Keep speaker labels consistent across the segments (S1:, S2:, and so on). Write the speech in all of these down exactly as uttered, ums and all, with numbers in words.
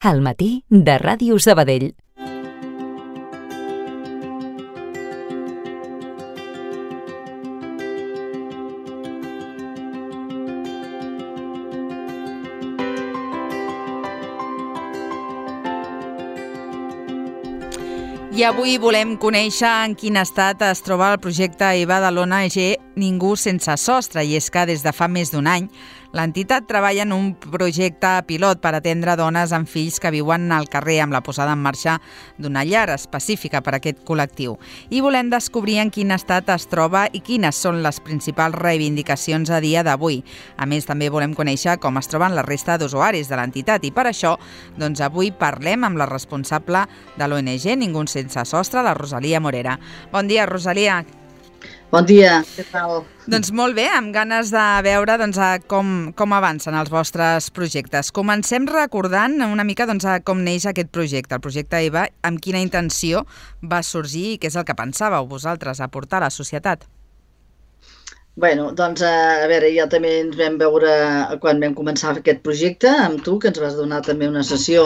S1: Al matí de Ràdio Sabadell.
S2: I avui volem conèixer en quin estat es troba el projecte E V A de l'O N G Ningú sense sostre, i és que des de fa més d'un any l'entitat treballa en un projecte pilot per atendre dones amb fills que viuen al carrer, amb la posada en marxa d'una llar específica per a aquest col·lectiu. I volem descobrir en quin estat es troba i quines són les principals reivindicacions a dia d'avui. A més, també volem conèixer com es troben la resta d'usuaris de l'entitat, i per això doncs, avui parlem amb la responsable de l'O N G Ningú sense sostre, la Rosalia Morera. Bon dia, Rosalia.
S3: Bon dia, què tal?
S2: Doncs molt bé, amb ganes de veure doncs, com, com avancen els vostres projectes. Comencem recordant una mica doncs, com neix aquest projecte, el projecte E V A, amb quina intenció va sorgir i què és el que pensàveu vosaltres aportar a la societat.
S3: Bueno, doncs, a veure, ja també ens vam veure quan vam començar aquest projecte, amb tu, que ens vas donar també una sessió.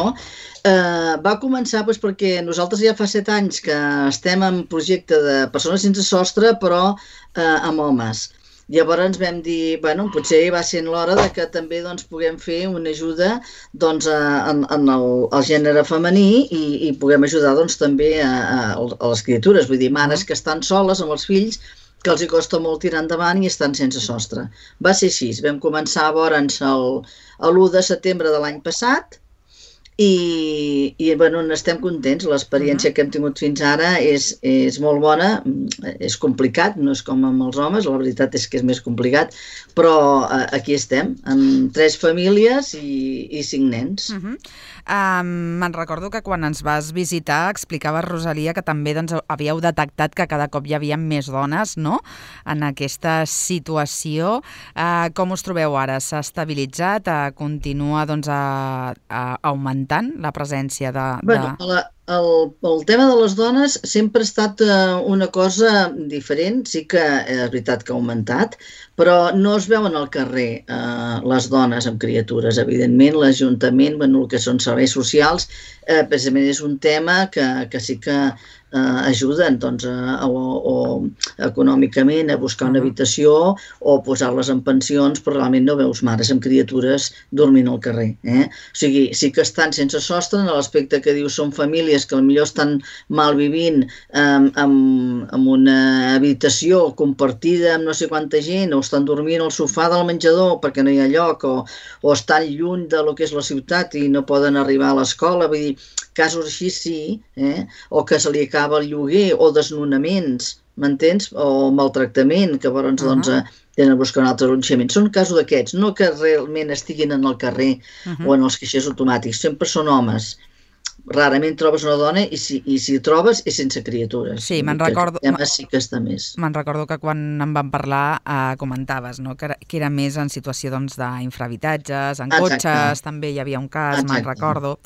S3: Eh, va començar doncs, perquè nosaltres ja fa set anys que estem en projecte de persones sense sostre, però eh, amb homes. Llavors vam dir, bueno, potser va ser l'hora de que també doncs, puguem fer una ajuda doncs, a, en, en el, el gènere femení i, i puguem ajudar doncs, també a, a, a les criatures, vull dir, mares que estan soles amb els fills, que els hi costa molt tirar endavant i estan sense sostre. Va ser així, vam començar a veure'ns l'u de setembre de l'any passat i, i bueno, estem contents. L'experiència uh-huh. que hem tingut fins ara és, és molt bona, és complicat, no és com amb els homes, la veritat és que és més complicat, però eh, aquí estem, amb tres famílies i, i cinc nens.
S2: Uh-huh. Um, me'n recordo que quan ens vas visitar explicaves, Rosalia, que també doncs, havíeu detectat que cada cop hi havia més dones, no?, en aquesta situació. Uh, com us trobeu ara? S'ha estabilitzat? Uh, continua doncs, a, a augmentant la presència de...
S3: Bueno,
S2: de...
S3: la, el, el tema de les dones sempre ha estat uh, una cosa diferent. Sí que és veritat que ha augmentat, però no es veuen al carrer eh, les dones amb criatures. Evidentment, l'Ajuntament, bueno, el que són serveis socials, eh, precisament és un tema que, que sí que eh, ajuden doncs, a, o, o econòmicament a buscar una habitació o posar-les en pensions, però realment no veus mares amb criatures dormint al carrer. Eh? O sigui, sí que estan sense sostre en l'aspecte que dius són famílies que potser estan mal vivint eh, amb, amb una habitació compartida amb no sé quanta gent, o estan dormint al sofà del menjador perquè no hi ha lloc, o, o estan lluny de lo que és la ciutat i no poden arribar a l'escola. Vull dir, casos així sí, eh? O que se li acaba el lloguer, o desnonaments, m'entens? O maltractament, que llavors uh-huh. doncs, tenen a buscar un altre allotjament. Són casos d'aquests, no que realment estiguin en el carrer uh-huh. o en els caixers automàtics, sempre són homes. Rarament trobes una dona i si, i si trobes és sense criatures.
S2: Sí, me'n recordo,
S3: sí que està més.
S2: Me'n recordo que quan en vam parlar eh, comentaves, no?, que, era, que era més en situació doncs, d'infrahabitatges, en Exacte. Cotxes, també hi havia un cas, Exacte. me'n recordo.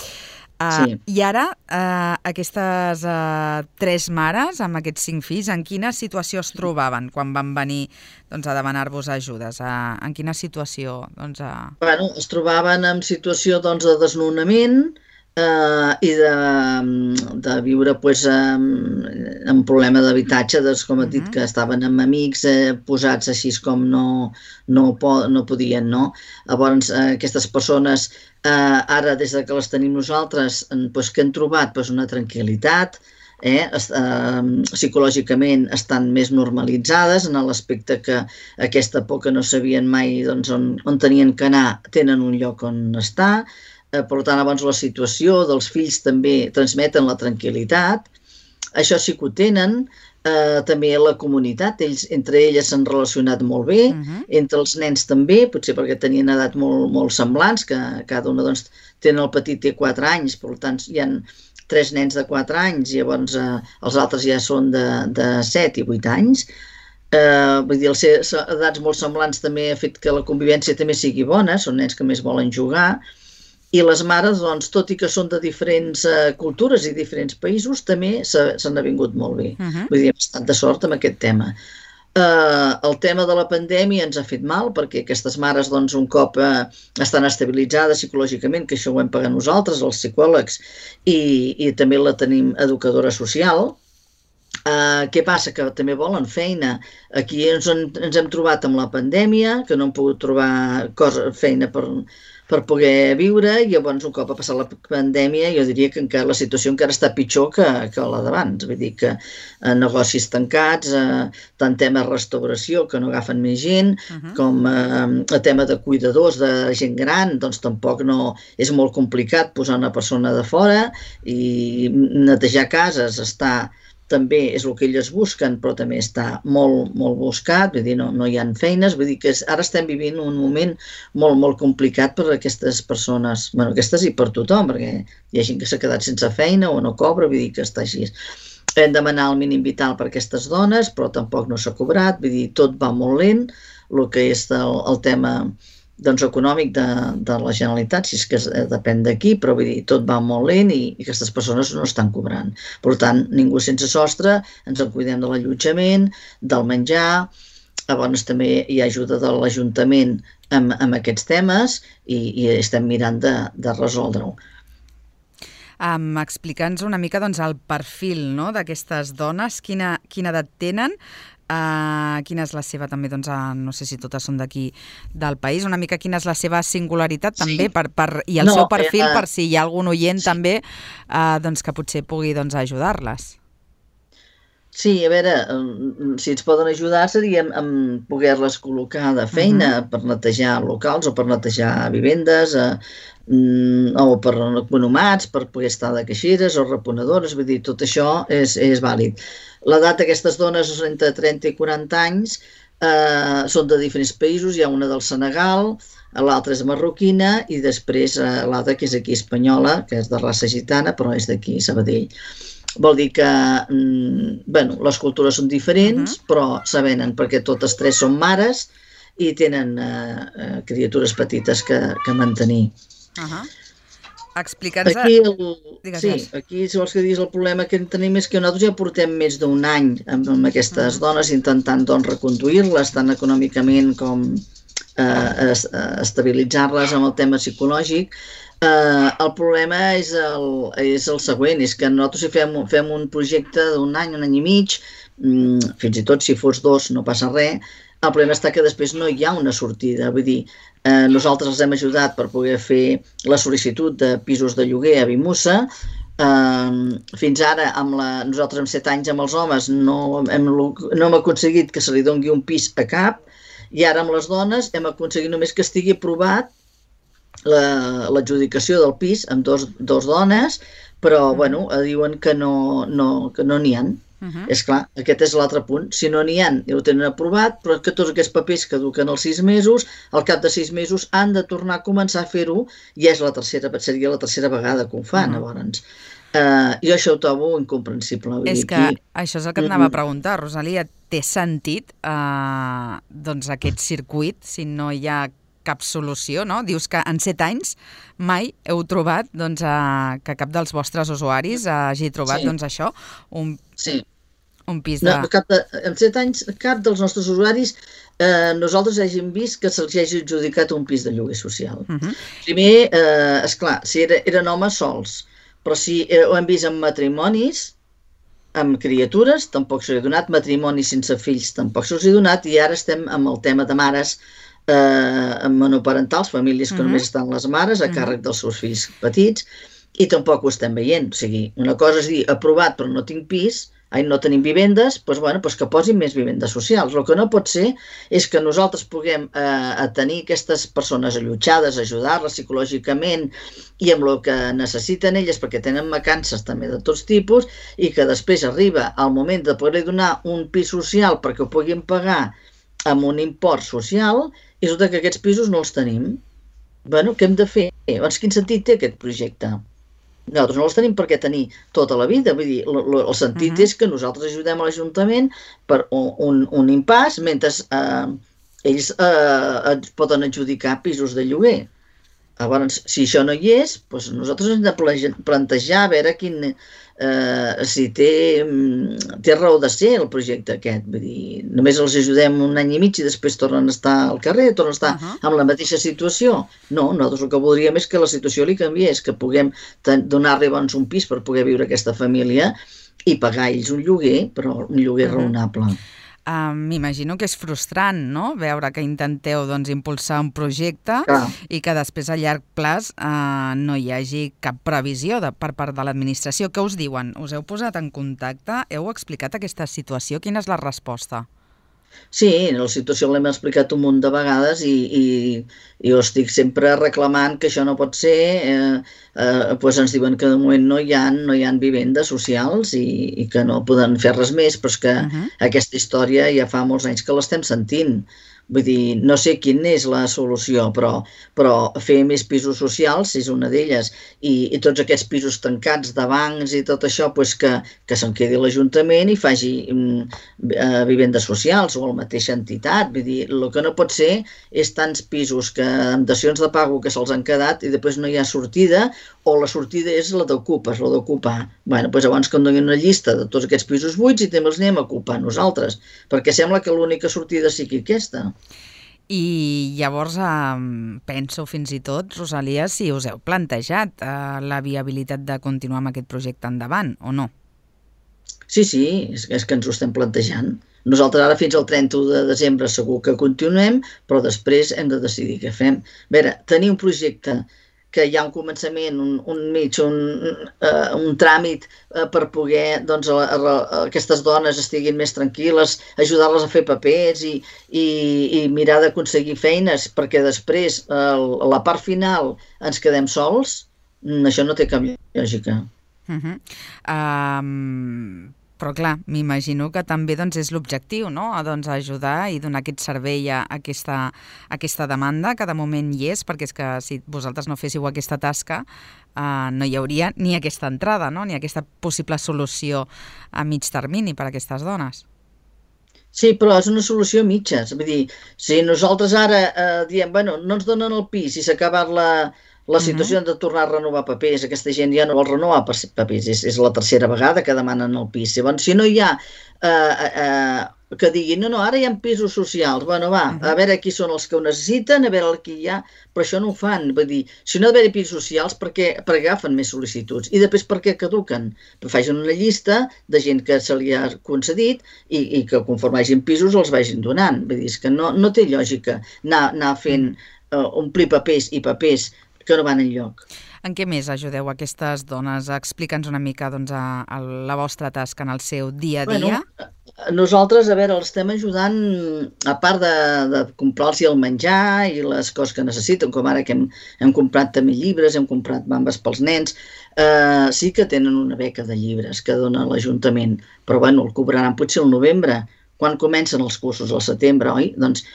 S2: Uh, sí. I ara, uh, aquestes uh, tres mares amb aquests cinc fills, en quina situació es trobaven quan van venir doncs, a demanar-vos ajudes? Uh, en quina situació? Doncs, uh...
S3: bueno, es trobaven en situació doncs, de desnonament, Uh, i de, de viure pues, um, amb problema d'habitatge, doncs, com et dit, que estaven amb amics eh, posats així com no, no, po- no podien, no? Llavors, eh, aquestes persones, eh, ara, des de que les tenim nosaltres, pues, que han trobat pues, una tranquil·litat, eh, eh, psicològicament estan més normalitzades en l'aspecte que aquesta por que no sabien mai doncs, on, on tenien que anar, tenen un lloc on estar. Eh, per tant, abans la situació dels fills també transmeten la tranquil·litat, això sí que ho tenen, eh, també la comunitat, ells, entre elles s'han relacionat molt bé, uh-huh. entre els nens també, potser perquè tenien edat molt, molt semblants, que cada una doncs, tenen el petit té quatre anys, per tant hi ha tres nens de quatre anys, llavors eh, els altres ja són de, de set i vuit anys. Eh, vull dir, els ser edats molt semblants també ha fet que la convivència també sigui bona, són nens que més volen jugar. I les mares, doncs, tot i que són de diferents uh, cultures i diferents països, també s'han avingut molt bé. Uh-huh. Vull dir, hem estat de sort amb aquest tema. Eh, el tema de la pandèmia ens ha fet mal, perquè aquestes mares, doncs, un cop eh, estan estabilitzades psicològicament, que això ho hem pagat nosaltres, els psicòlegs, i, i també la tenim educadora social. Uh, què passa? Que també volen feina. Aquí ens, ens hem trobat amb la pandèmia, que no hem pogut trobar cosa, feina per, per poder viure, i llavors un cop ha passat la pandèmia jo diria que encara, la situació encara està pitjor que, que la d'abans. Vull dir que eh, negocis tancats, eh, tant tema restauració, que no agafen més gent, uh-huh. com eh, el tema de cuidadors, de gent gran, doncs tampoc no... És molt complicat posar una persona de fora, i netejar cases està... també és el que elles busquen, però també està molt, molt buscat, vull dir, no, no hi ha feines, vull dir que ara estem vivint un moment molt, molt complicat per a aquestes persones, bueno, aquestes i per tothom, perquè hi ha gent que s'ha quedat sense feina o no cobra, vull dir que està així. Hem demanat el mínim vital per a aquestes dones, però tampoc no s'ha cobrat, vull dir, tot va molt lent, el que és el, el tema... doncs econòmic de, de la Generalitat, si és que depèn d'aquí, però vull dir, tot va molt lent i, i aquestes persones no estan cobrant. Per tant, ningú sense sostre, ens en cuidem de l'allotjament, del menjar, llavors també hi ha ajuda de l'Ajuntament amb, amb aquests temes i, i estem mirant de, de resoldre-ho.
S2: Um, Explica'ns una mica doncs, el perfil, no?, d'aquestes dones, quina, quina edat tenen, Uh, quina és la seva també, doncs, uh, no sé si totes són d'aquí del país, una mica quina és la seva singularitat també, sí. per, per, i el no, seu perfil eh, uh, per si hi ha algun oient sí. també uh, doncs, que potser pugui doncs, ajudar-les. Sí,
S3: a veure, si ens poden ajudar seria amb poder-les col·locar de feina uh-huh. per netejar locals o per netejar vivendes, eh, o per economats, per poder estar de caixeres o reponedores, vull dir, tot això és, és vàlid. L'edat d'aquestes dones és entre trenta i quaranta anys, eh, són de diferents països, hi ha una del Senegal, l'altra és marroquina i després eh, l'altra que és aquí espanyola, que és de raça gitana, però és d'aquí, Sabadell. Vol dir que mm, bueno, les cultures són diferents, uh-huh. però s'avenen perquè totes tres són mares i tenen eh, criatures petites que, que mantenir.
S2: Uh-huh. Explica'ns...
S3: Aquí, el, sí, aquí, si vols que diguis, el problema que tenim és que nosaltres ja portem més d'un any amb, amb aquestes uh-huh. dones intentant doncs, reconduir-les tant econòmicament com eh, es, estabilitzar-les amb el tema psicològic. Eh, el problema és el, és el següent, és que nosaltres si fem, fem un projecte d'un any, un any i mig, mm, fins i tot si fos dos no passa res, el problema està que després no hi ha una sortida, vull dir, eh, nosaltres els hem ajudat per poder fer la sol·licitud de pisos de lloguer a Vimussa, eh, fins ara amb la, nosaltres amb set anys amb els homes no hem, no hem aconseguit que se li doni un pis a cap, i ara amb les dones hem aconseguit només que estigui aprovat l'adjudicació del pis amb dos, dos dones, però bueno, diuen que no no, que no n'hi ha. Uh-huh. És clar, aquest és l'altre punt. Si no n'hi ha, ho tenen aprovat, però que tots aquests papers caduquen els sis mesos, al cap de sis mesos han de tornar a començar a fer-ho, i és la tercera, seria la tercera vegada que ho fan, uh-huh. llavors. Uh, jo això ho trobo incomprensible.
S2: És que aquí... això és el que et anava a preguntar, Rosalia, té sentit uh, doncs aquest circuit si no hi ha cap solució, no? Dius que en set anys mai heu trobat doncs, a, que cap dels vostres usuaris hagi trobat sí. doncs, això, un,
S3: sí.
S2: un pis de...
S3: No, cap de... En set anys cap dels nostres usuaris eh, nosaltres hàgim vist que se'ls hagi adjudicat un pis de lloguer social. Uh-huh. Primer, eh, esclar, si era, eren homes sols, però si eh, ho hem vist en matrimonis, amb criatures, tampoc s'ho he donat, matrimonis sense fills tampoc s'ho he donat, i ara estem amb el tema de mares Eh, monoparentals, famílies que uh-huh. només estan les mares a càrrec dels seus fills petits, i tampoc ho estem veient. O sigui, una cosa és dir, aprovat però no tinc pis, ai, no tenim vivendes, doncs, bueno, doncs que posin més vivendes socials. El que no pot ser és que nosaltres puguem eh, tenir aquestes persones allotjades, ajudar-les psicològicament i amb el que necessiten elles, perquè tenen vacances també de tots tipus, i que després arriba el moment de poder donar un pis social perquè ho puguin pagar amb un import social, i resulta que aquests pisos no els tenim. Bueno, què hem de fer? Llavors, quin sentit té aquest projecte? Nosaltres no els tenim per què tenir tota la vida. Vull dir, el sentit uh-huh. és que nosaltres ajudem a l'Ajuntament per un, un impàs mentre eh, ells eh, poden adjudicar pisos de lloguer. Llavors, si això no hi és, doncs nosaltres hem de plantejar a veure quin, eh, si té, té raó de ser el projecte aquest. Vull dir, només els ajudem un any i mig i després tornen a estar al carrer, tornen a estar uh -huh. en la mateixa situació. No, nosaltres el que voldríem és que la situació li canviés, que puguem donar-li doncs, un pis per poder viure aquesta família i pagar ells un lloguer, però un lloguer uh -huh. raonable.
S2: Uh, M'imagino que és frustrant, no?, veure que intenteu doncs, impulsar un projecte
S3: Clar.
S2: i que després a llarg plaç uh, no hi hagi cap previsió de, per part de l'administració. Què us diuen? Us heu posat en contacte? Heu explicat aquesta situació? Quina és la resposta?
S3: Sí, la situació l'hem explicat un munt de vegades i, i, i jo estic sempre reclamant que això no pot ser. Eh, eh, doncs ens diuen que de moment no hi ha, no hi ha vivendes socials i, i que no poden fer res més, però és que uh -huh. aquesta història ja fa molts anys que l'estem sentint. Vull dir, no sé quina és la solució, però, però fer més pisos socials és una d'elles. I, i tots aquests pisos tancats de bancs i tot això, doncs que, que se'n quedi l'Ajuntament i faci mm, eh, vivendes socials o la mateixa entitat. Vull dir, el que no pot ser és tants pisos que, amb dacions de pago que se'ls han quedat i després no hi ha sortida, o la sortida és la d'ocupes, la d'ocupar. Bé, doncs llavors que em donin una llista de tots aquests pisos buits i també els anem a ocupar nosaltres, perquè sembla que l'única sortida sigui aquesta.
S2: I llavors eh, penso fins i tot, Rosalia, si us heu plantejat eh, la viabilitat de continuar amb aquest projecte endavant, o no?
S3: Sí, sí, és, és que ens ho estem plantejant. Nosaltres ara fins al trenta-u de desembre segur que continuem, però després hem de decidir què fem. A veure, tenir un projecte que hi ha un començament, un, un mig, un, uh, un tràmit uh, per poder doncs, a, a, a, aquestes dones estiguin més tranquil·les, ajudar-les a fer papers i, i, i mirar d'aconseguir feines, perquè després uh, a la part final ens quedem sols, això no té cap lògica.
S2: Uh -huh. um... Però clar, m'imagino que també doncs, és l'objectiu, no?, doncs, ajudar i donar aquest servei a aquesta, a aquesta demanda, que de moment hi és, perquè és que si vosaltres no féssiu aquesta tasca eh, no hi hauria ni aquesta entrada, no?, ni aquesta possible solució a mig termini per a aquestes dones.
S3: Sí, però és una solució a mitges. Vull dir, si nosaltres ara eh, diem, bueno, no ens donen el pis i s'ha acabat la... La situació uh-huh. de tornar a renovar papers, aquesta gent ja no vol renovar papers, és, és la tercera vegada que demanen el pis. Llavors, si no hi ha eh, eh, que diguin, no, no, ara hi ha pisos socials, bueno, va, uh-huh. a veure qui són els que ho necessiten, a veure qui hi ha, però això no ho fan. Vull dir, si no ha d'haver pisos socials, per què, per què agafen més sol·licituds? I després per què caduquen? Però facin una llista de gent que se li ha concedit i, i que conforme hagin pisos els vagin donant. Vull dir, és que no, no té lògica anar, anar fent, uh, omplir papers i papers que no van enlloc.
S2: En què més ajudeu aquestes dones? Explica'ns una mica doncs, a, a la vostra tasca en el seu dia a dia.
S3: Bueno, nosaltres, a veure, els estem ajudant, a part de, de comprar-los el menjar i les coses que necessiten, com ara que hem, hem comprat també llibres, hem comprat bambes pels nens, eh, sí que tenen una beca de llibres que dona l'Ajuntament, però bueno, el cobraran potser al novembre, quan comencen els cursos al setembre, oi? Doncs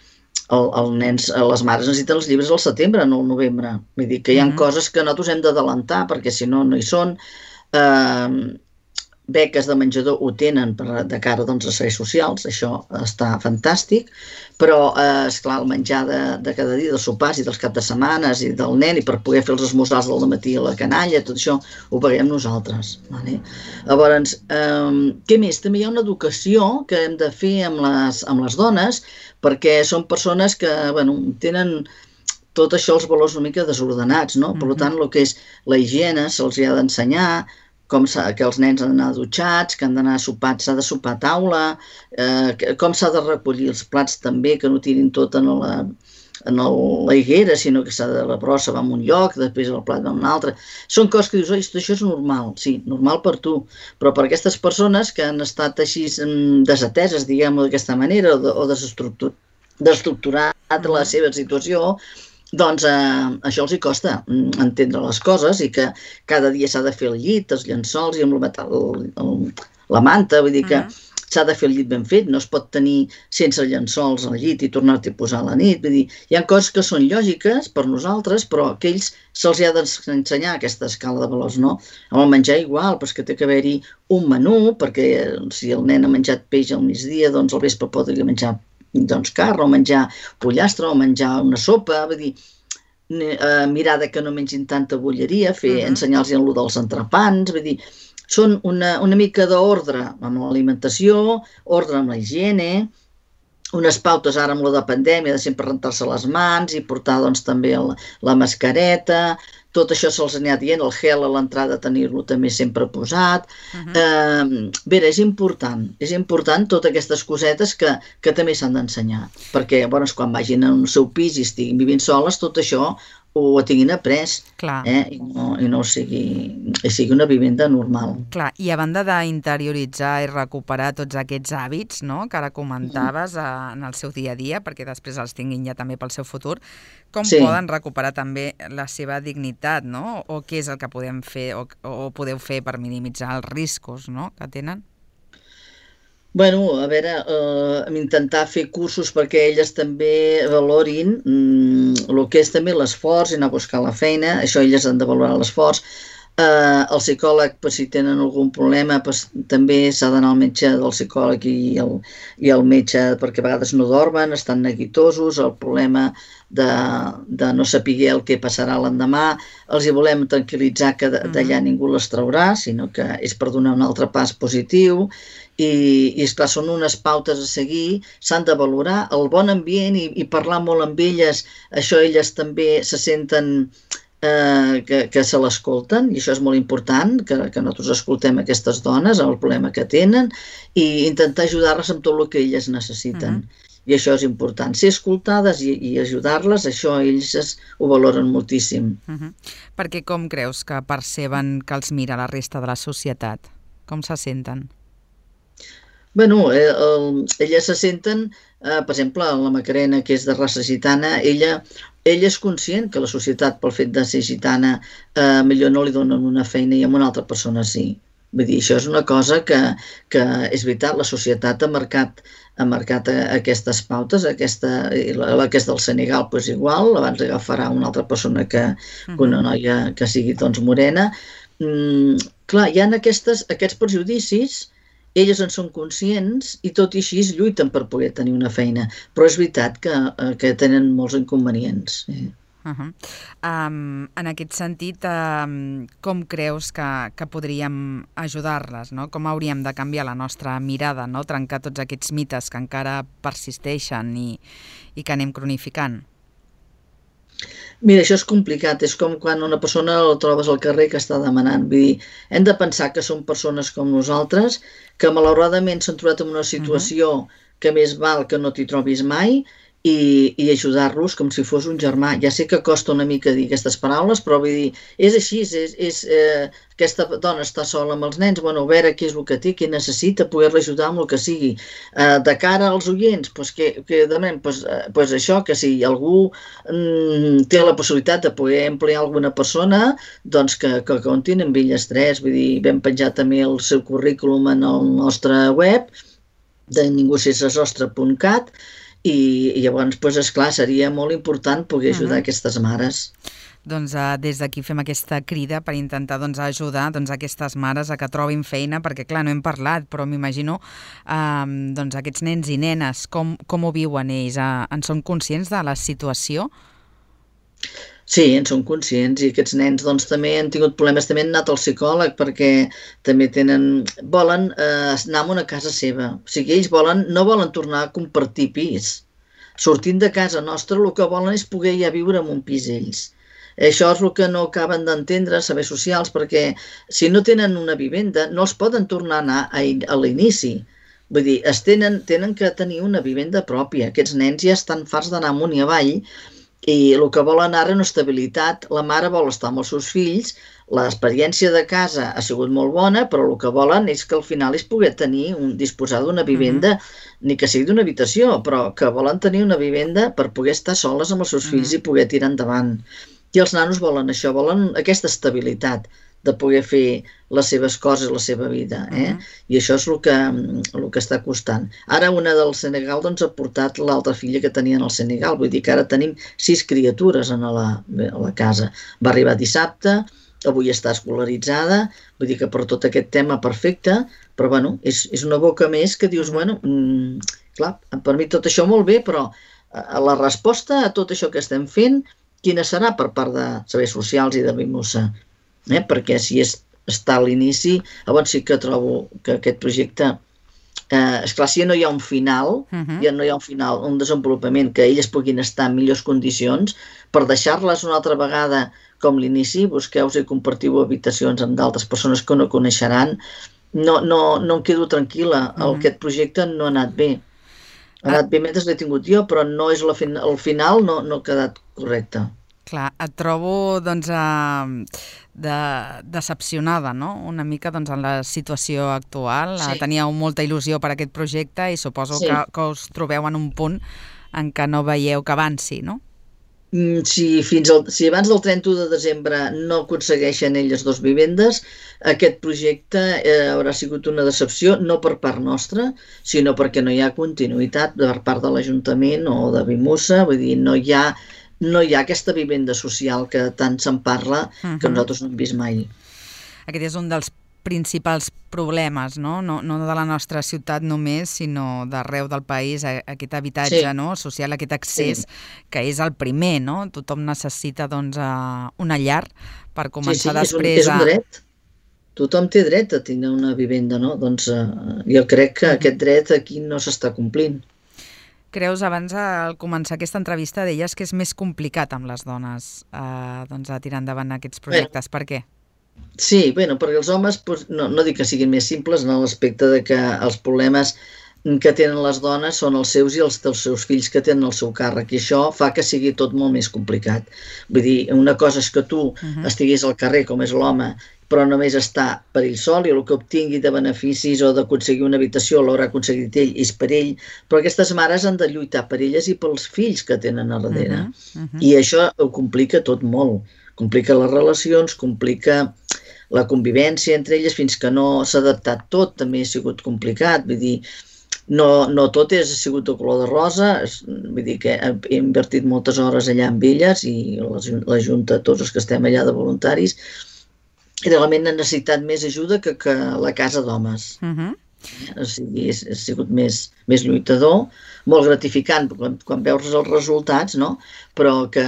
S3: El, el nens, les mares necessiten els llibres al setembre, no al novembre. Vull dir que hi ha uh-huh. coses que nosaltres hem d'adelantar, perquè si no, no hi són. Uh, beques de menjador ho tenen per, de cara doncs, a serveis socials, això està fantàstic, però, eh, esclar, el menjar de, de cada dia, dels sopars i dels caps de setmanes i del nen, i per poder fer els esmorzars del matí a la canalla, tot això ho paguem nosaltres. Vale? Llavors, eh, què més? També hi ha una educació que hem de fer amb les, amb les dones, perquè són persones que, bueno, tenen tot això, els valors una mica desordenats, no? Mm-hmm. Per tant, el que és la higiene se'ls ha d'ensenyar, com que els nens han d'anar dutxats, que han d'anar sopats, s'ha de sopar a taula, eh, com s'ha de recollir els plats també, que no tirin tot en la, en la higuera, sinó que s'ha de la brossa va a un lloc, després el plat va a un altre. Són coses que dius, oi, això és normal, sí, normal per tu, però per aquestes persones que han estat així desateses, diguem-ho d'aquesta manera, o, o desestructur, desestructurat la seva situació, doncs eh, això els hi costa entendre les coses i que cada dia s'ha de fer el llit, els llençols i amb el, el, el, la manta, vull dir que uh-huh. s'ha de fer el llit ben fet, no es pot tenir sense llençols al llit i tornar-t'hi a posar a la nit. Vull dir, hi ha coses que són lògiques per nosaltres, però que ells se'ls ha d'ensenyar aquesta escala de valors, no? Amb el menjar igual, però és que té que haver-hi un menú, perquè si el nen ha menjat peix al migdia, doncs al vespre podria menjar doncs carn, o menjar pollastre, o menjar una sopa, vull dir, eh, mirar de que no mengin tanta bolleria, fer, uh-huh. ensenyar-los allò dels entrepans, vull dir, són una, una mica d'ordre amb l'alimentació, ordre amb la higiene, unes pautes ara amb la de pandèmia de sempre rentar-se les mans i portar doncs també la, la mascareta, tot això se'ls anà dient, el gel a l'entrada tenir-lo també sempre posat. Uh-huh. eh, bé, és important, és important totes aquestes cosetes que, que també s'han d'ensenyar, perquè llavors quan vagin al seu pis i estiguin vivint soles, tot això ho tinguin après, eh? I, no, i no sigui, sigui una vivenda normal.
S2: Clar, i a banda d'interioritzar i recuperar tots aquests hàbits, no?, que ara comentaves uh, en el seu dia a dia, perquè després els tinguin ja també pel seu futur, com sí. poden recuperar també la seva dignitat, no?, o què és el que podem fer o, o podeu fer per minimitzar els riscos, no?, que tenen?
S3: Bueno, a veure, eh, intentar fer cursos perquè elles també valorin mm, el que és també l'esforç i anar a buscar la feina, això elles han de valorar l'esforç. Eh, el psicòleg, pues, si tenen algun problema, pues, també s'ha d'anar al metge del psicòleg i el, i el metge, perquè a vegades no dormen, estan neguitosos, el problema de, de no saber el que passarà l'endemà, els hi volem tranquil·litzar que d'allà ningú les traurà, sinó que és per donar un altre pas positiu. I, i esclar, són unes pautes a seguir, s'han de valorar el bon ambient i, i parlar molt amb elles, això elles també se senten eh, que, que se l'escolten, i això és molt important, que, que nosaltres escoltem aquestes dones, el problema que tenen, i intentar ajudar-les amb tot el que elles necessiten. Uh-huh. I això és important, ser escoltades i, i ajudar-les, això ells es, ho valoren moltíssim.
S2: Uh-huh. Perquè com creus que perceben que els mira la resta de la societat? Com se senten?
S3: Bueno, eh, el, elles se senten, eh, per exemple, la Macarena, que és de raça gitana, ella, ella és conscient que la societat, pel fet de ser gitana, eh, millor no li donen una feina i a una altra persona sí. Vull dir, això és una cosa que, que és veritat, la societat ha marcat, ha marcat aquestes pautes, aquesta, la que és del Senegal, doncs igual, abans agafarà una altra persona que, que una noia que sigui doncs morena. Mm, clar, hi ha aquestes, aquests prejudicis. Elles en són conscients i tot i així lluiten per poder tenir una feina, però és veritat que, que tenen molts inconvenients. Eh?
S2: Uh-huh. um, en aquest sentit, um, com creus que, que podríem ajudar-les, no? Com hauríem de canviar la nostra mirada, no? Trencar tots aquests mites que encara persisteixen i, i que anem cronificant?
S3: Mira, això és complicat, és com quan una persona la trobes al carrer que està demanant. Vull dir, hem de pensar que són persones com nosaltres, que malauradament s'han trobat en una situació uh-huh. que més val que no t'hi trobis mai, i, i ajudar-los com si fos un germà. Ja sé que costa una mica dir aquestes paraules, però vull dir, és així, és, és, eh, aquesta dona està sola amb els nens, bueno, a veure què és el que té, què necessita, poder-la ajudar amb el que sigui. Eh, de cara als oients, doncs que, que demanem, doncs, eh, doncs això, que si algú mm, té la possibilitat de poder emplear alguna persona, doncs que, que comptin amb elles tres, vull dir, vam penjar també el seu currículum en el nostre web, de ningú sense sostre punt cat, i, i llavors, doncs, esclar, seria molt important poder ajudar uh-huh. aquestes mares.
S2: Doncs uh, des d'aquí fem aquesta crida per intentar doncs, ajudar doncs, aquestes mares a que trobin feina, perquè clar, no hem parlat, però m'imagino um, doncs, aquests nens i nenes, com, com ho viuen ells? Uh, en són conscients de la situació?
S3: Sí, en són conscients, i aquests nens doncs, també han tingut problemes, també han anat al psicòleg perquè també tenen, volen eh, anar a una casa seva, o sigui, ells volen, no volen tornar a compartir pis. Sortint de casa nostra el que volen és poder ja viure en un pis ells. Això és el que no acaben d'entendre els serveis socials, perquè si no tenen una vivenda no els poden tornar a anar a, a l'inici. Vull dir, es tenen, tenen que tenir una vivenda pròpia. Aquests nens ja estan farts d'anar amunt i avall, i el que volen ara és una estabilitat. La mare vol estar amb els seus fills, l'experiència de casa ha sigut molt bona, però el que volen és que al final és poder tenir, un, disposar d'una vivenda, uh-huh. ni que sigui d'una habitació, però que volen tenir una vivenda per poder estar soles amb els seus uh-huh. fills i poder tirar endavant. I els nanos volen això, volen aquesta estabilitat de poder fer les seves coses, la seva vida. Eh? Uh-huh. I això és el que, el que està costant. Ara una del Senegal doncs, ha portat l'altra filla que tenien al Senegal. Vull dir que ara tenim sis criatures en la, a la casa. Va arribar dissabte, avui està escolaritzada, vull dir que per tot aquest tema perfecte, però bueno, és, és una boca més que dius, bueno, mm, clar, per mi tot això molt bé, però la resposta a tot això que estem fent quina serà per part de serveis socials i de Bimusa, eh? Perquè si és, està a l'inici, llavors sí que trobo que aquest projecte, eh, esclar, si ja no hi ha un final, uh-huh. ja no hi ha un final, un desenvolupament, que elles puguin estar en millors condicions, per deixar-les una altra vegada com l'inici, busqueu-vos i compartiu habitacions amb d'altres persones que no coneixeran, no, no, no em quedo tranquil·la, uh-huh. aquest projecte no ha anat bé. Ha anat bé mentre l'he tingut jo, però no és la fin el final no, no ha quedat correcte.
S2: Clar, et trobo doncs, eh, de, decepcionada, no? Una mica doncs, en la situació actual. Sí. Teníeu molta il·lusió per aquest projecte i suposo sí. que, que us trobeu en un punt en què no veieu que avanci, no?
S3: Si, fins al, si abans del trenta-u de desembre no aconsegueixen elles dos vivendes, aquest projecte eh, haurà sigut una decepció, no per part nostra, sinó perquè no hi ha continuïtat per part de l'Ajuntament o de Bimusa, vull dir, no hi ha, no hi ha aquesta vivenda social que tant se'n parla, uh-huh. que nosaltres no hem vist mai.
S2: Aquest és un dels principals problemes, no? No, no de la nostra ciutat només, sinó d'arreu del país, aquest habitatge sí. no? social, aquest accés, sí. que és el primer, no? Tothom necessita doncs, una llar per començar sí, sí, després
S3: és un, és un dret. Tothom té dret a tenir una vivenda, no? Doncs uh, jo crec que aquest dret aquí no s'està complint.
S2: Creus, abans al començar aquesta entrevista deies que és més complicat amb les dones eh, doncs, a tirar endavant aquests projectes. Bé. Per què?
S3: Sí, bueno, perquè els homes, doncs, no, no dic que siguin més simples, en l'aspecte de que els problemes que tenen les dones són els seus i els dels seus fills que tenen el seu càrrec, i això fa que sigui tot molt més complicat. Vull dir, una cosa és que tu uh-huh. estiguis al carrer, com és l'home, però només està per ell sol i el que obtingui de beneficis o d'aconseguir una habitació l'haurà aconseguit ell, és per ell, però aquestes mares han de lluitar per elles i pels fills que tenen a darrere. Uh-huh. Uh-huh. I això ho complica tot molt. Complica les relacions, complica la convivència entre elles, fins que no s'ha adaptat tot, també ha sigut complicat. Vull dir, no, no tot és, ha sigut de color de rosa, vull dir que he invertit moltes hores allà amb elles i la, la Junta, tots els que estem allà de voluntaris, i realment han necessitat més ajuda que, que la casa d'homes. Uh-huh. O sigui, ha sigut més, més lluitador, molt gratificant quan, quan veus els resultats, no? Però que,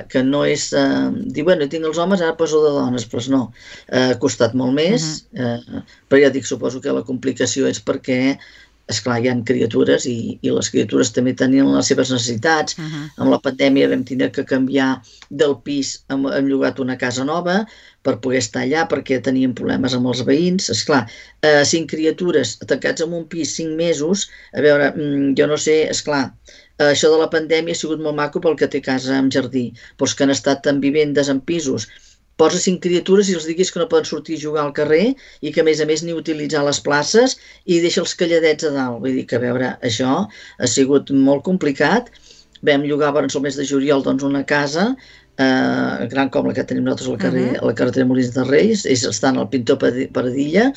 S3: que no és... Eh, dir, bueno, tinc els homes, ara poso de dones, però no. Eh, ha costat molt més, uh-huh. eh, però ja dic, suposo que la complicació és perquè, esclar, hi ha criatures i, i les criatures també tenien les seves necessitats. Uh-huh. Amb la pandèmia vam tenir que canviar del pis, hem, hem llogat una casa nova per poder estar allà perquè tenien problemes amb els veïns. Esclar, eh, cinc criatures tancats en un pis cinc mesos, a veure, jo no sé, esclar, eh, això de la pandèmia ha sigut molt maco pel que té casa amb jardí, però els que han estat en vivendes, en pisos, posa cinc criatures i els diguis que no poden sortir a jugar al carrer i que a més a més ni utilitzar les places i deixa els calladets a dalt. Vull dir que a veure, això ha sigut molt complicat. Vam llogar abans el mes de juliol doncs, una casa eh, gran com la que tenim nosaltres al carrer, uh-huh. a la carretera Molins de Reis, ells estan al Pintor Paradilla,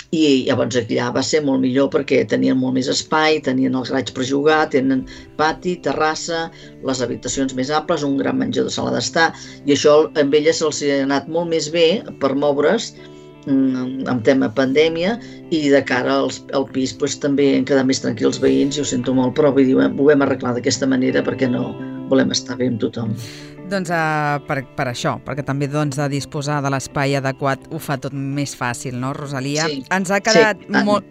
S3: i llavors allà va ser molt millor perquè tenien molt més espai, tenien el garatge per jugar, tenen pati, terrassa, les habitacions més amples, un gran menjador, sala d'estar, i això amb elles els ha anat molt més bé per moure's en tema pandèmia, i de cara als, al pis pues, també han quedat més tranquils veïns, i ho sento molt, però vull dir, ho hem arreglat d'aquesta manera perquè no volem estar bé amb tothom.
S2: Doncs uh, per, per això, perquè també doncs, de disposar de l'espai adequat ho fa tot més fàcil, no, Rosalia? Sí. Ens ha quedat sí. molt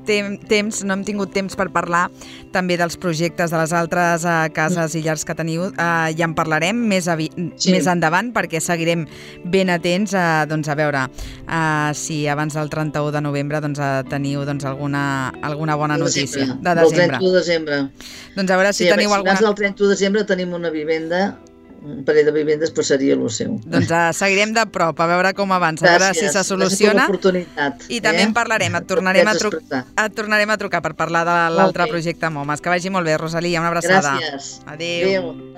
S2: tem temps, no hem tingut temps per parlar també dels projectes de les altres uh, cases i llars que teniu. Uh, ja en parlarem més, sí. més endavant, perquè seguirem ben atents a, doncs, a veure uh, si abans del trenta-u de novembre doncs, uh, teniu doncs, alguna, alguna bona de notícia.
S3: Desembre. De desembre. Del trenta-u de desembre.
S2: Doncs a veure si sí, teniu alguna...
S3: Abans del trenta-u de desembre tenim una vivenda, un parell de vivendes, però seria el seu.
S2: Doncs uh, seguirem de prop, a veure com avança, a veure si se soluciona. I també eh? en parlarem, et tornarem, a et tornarem a trucar per parlar de l'altre okay. projecte MOMAS. Que vagi molt bé, Rosalia, una abraçada.
S3: Gràcies.
S2: Adéu. Adéu.